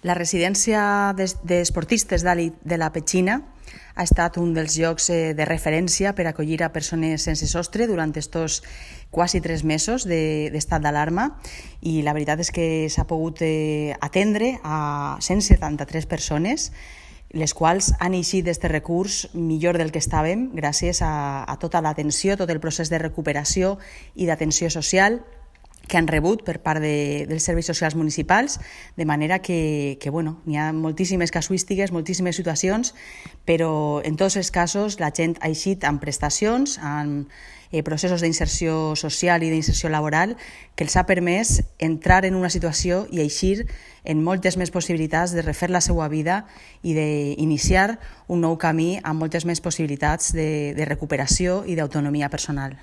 La residència d'esportistes de la Petxina ha estat un dels llocs de referència per acollir a persones sense sostre durant estos quasi 3 mesos d'estat d'alarma, i la veritat és que s'ha pogut atendre a 173 persones, les quals han eixit d'aquest recurs millor del que estàvem gràcies a tota l'atenció, tot el procés de recuperació i d'atenció social que han rebut per part dels serveis socials municipals, de manera que n'hi ha moltíssimes casuístiques, moltíssimes situacions, però en tots els casos la gent ha eixit amb prestacions, amb processos d'inserció social i d'inserció laboral que els ha permès entrar en una situació i eixir en moltes més possibilitats de refer la seva vida i d'iniciar un nou camí amb moltes més possibilitats de recuperació i d'autonomia personal.